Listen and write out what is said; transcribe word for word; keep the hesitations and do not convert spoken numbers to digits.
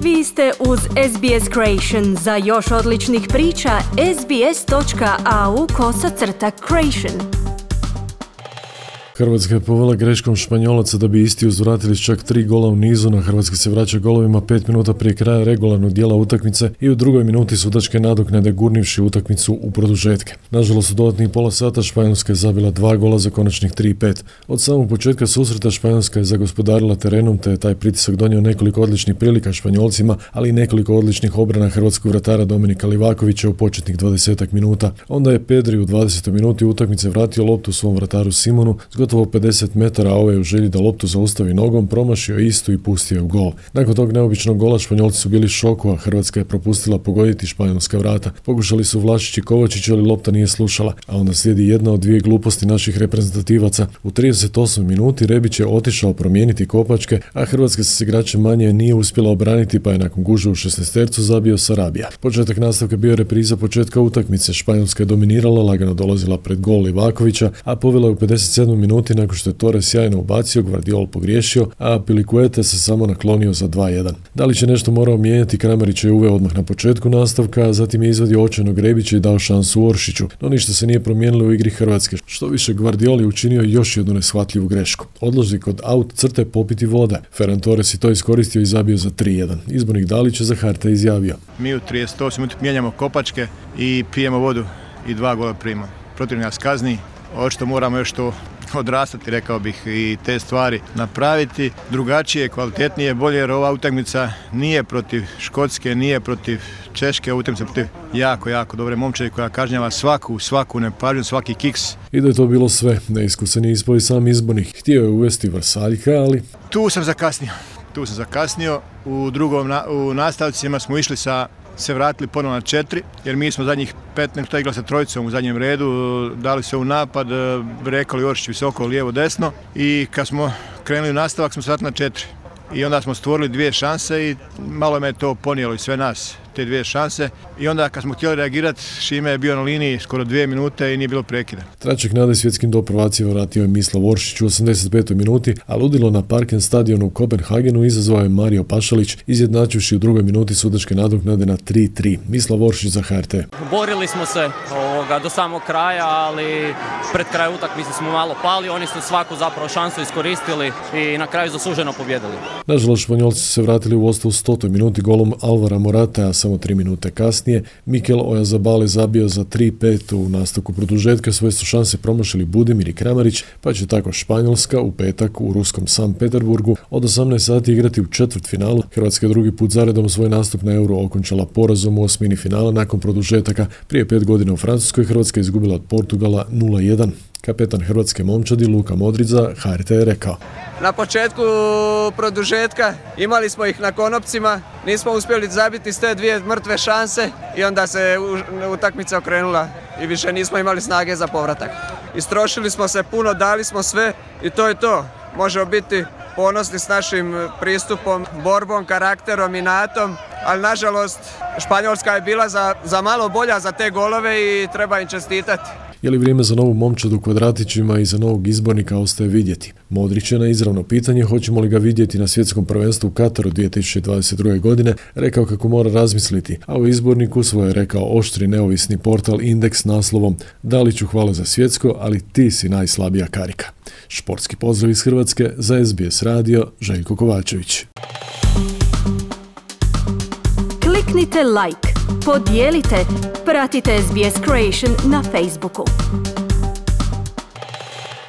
Vi ste uz S B S Creation. Za još odličnih priča, sbs.au kosacrta creation. Hrvatska je povela greškom Španjolaca da bi isti uzvratili s čak tri gola u nizu. Na Hrvatska se vraća golovima pet minuta prije kraja regularnog dijela utakmice i u drugoj minuti sudačke nadoknade gurnivši utakmicu u produžetke. Nažalost, u dodatnih pola sata Španjolska je zabila dva gola za konačnih tri pet. Od samog početka susreta Španjolska je zagospodarila terenom, te je taj pritisak donio nekoliko odličnih prilika Španjolcima, ali i nekoliko odličnih obrana hrvatskog vratara Dominika Livakovića u početnih dvadesetak minuta. Onda je Pedri u dvadesetoj minuti utakmice vratio loptu svom vrataru Simonu s gotovo pedeset metara, a ovaj je u želji da loptu zaustavi nogom promašio istu i pustio u gol. Nakon tog neobičnog gola Španjolci su bili šoku, a Hrvatska je propustila pogoditi španjolska vrata. Pokušali su Vlašić i Kovačić, ali lopta nije slušala, a onda slijedi jedna od dvije gluposti naših reprezentativaca. U trideset osmoj minuti Rebić je otišao promijeniti kopačke, a Hrvatska se s igračem manje nije uspjela obraniti, pa je nakon gužve u šesnaestercu zabio Sarabija. Početak nastavka bio repriza početka utakmice. Španjolska je dominirala, lagano dolazila pred gol Livakovića, a povela je u pedeset sedmoj minuti nakon što je Torres sjajno ubacio, Gvardiol pogriješio, a Pilicueta se samo naklonio za dva jedan. Da li će nešto morao mijenjati, Kramarić je uveo odmah na početku nastavka, a zatim je izvadio očajnog Rebića i dao šansu Oršiću, no ništa se nije promijenilo u igri Hrvatske. Što više, Gvardiol je učinio još jednu neshvatljivu grešku. Odlazi kod aut crte popiti vode. Ferran Torres je to iskoristio i zabio za tri jedan. Izbornik Dalić je za H R T izjavio: Mi u trideset osmoj minuti mijenjamo kopačke i pijemo vodu i dva gola primamo. Protiv nas kazni, očito moramo još to odrastati, rekao bih, i te stvari napraviti drugačije, kvalitetnije, bolje, jer ova utakmica nije protiv Škotske, nije protiv Češke, utakmica protiv jako, jako dobre momčadi koja kažnjava svaku, svaku nepažnju, svaki kiks. I da je to bilo sve, neiskusan je ispao i sam izbornik. Htio je uvesti Vrsaljka, ali... Tu sam zakasnio, tu sam zakasnio. U drugom, u nastavcima smo išli sa se vratili ponovno na četiri, jer mi smo zadnjih petnaest minuta igrali sa trojicom u zadnjem redu, dali se u napad, rekali Oršić visoko, lijevo, desno, i kad smo krenuli u nastavak smo se vratili na četiri. I onda smo stvorili dvije šanse i malo me to ponijelo i sve nas, te dvije šanse. I onda kad smo htjeli reagirati, Šime je bio na liniji skoro dvije minute i nije bilo prekida. Tračak nade svjetskim do prvacima vratio je Mislav Oršić u osamdeset petoj minuti, a ludilo na Parken stadionu u Kopenhagenu izazvao je Mario Pašalić, izjednačivši u drugoj minuti sudačke nadoknade na tri tri. Mislav Oršić za H R T. Borili smo se ovoga, do samog kraja, ali pred kraj utakmice smo malo pali, oni su svaku zapravo šansu iskoristili i na kraju zasluženo pobjedili. Nažalost, Španjolci su se vratili u vodstvo u stotoj minuti golom Alvara Morata, a samo tri minute kasnije Mikel Oyarzabal je zabio za tri pet. U nastavku produžetka svoje su šanse promašili Budimir i Kramarić, pa će tako Španjolska u petak u ruskom Sankt Peterburgu od osamnaest sati igrati u četvrtfinalu. Hrvatska je drugi put zaredom svoj nastup na Euro okončala porazom u osmini finala nakon produžetaka. Prije pet godina u Francuskoj Hrvatska je izgubila od Portugala nula jedan. Kapetan hrvatske momčadi Luka Modrić za H R T je rekao: Na početku produžetka imali smo ih na konopcima, nismo uspjeli zabiti s te dvije mrtve šanse i onda se utakmica okrenula i više nismo imali snage za povratak. Istrošili smo se puno, dali smo sve i to je to. Možemo biti ponosni s našim pristupom, borbom, karakterom, inatom, ali nažalost Španjolska je bila za, za malo bolja za te golove i treba im čestitati. Je li vrijeme za novu momčad u kvadratićima i za novog izbornika, ostaje vidjeti. Modrić je na izravno pitanje hoćemo li ga vidjeti na svjetskom prvenstvu u Kataru dvije tisuće dvadeset druge. godine rekao kako mora razmisliti, a u izborniku svoje rekao oštri neovisni portal Indeks naslovom: Daliću hvala za svjetsko, ali ti si najslabija karika. Športski pozdrav iz Hrvatske za S B S radio, Željko Kovačević. Kliknite like, podijelite, pratite S B S Creation na Facebooku.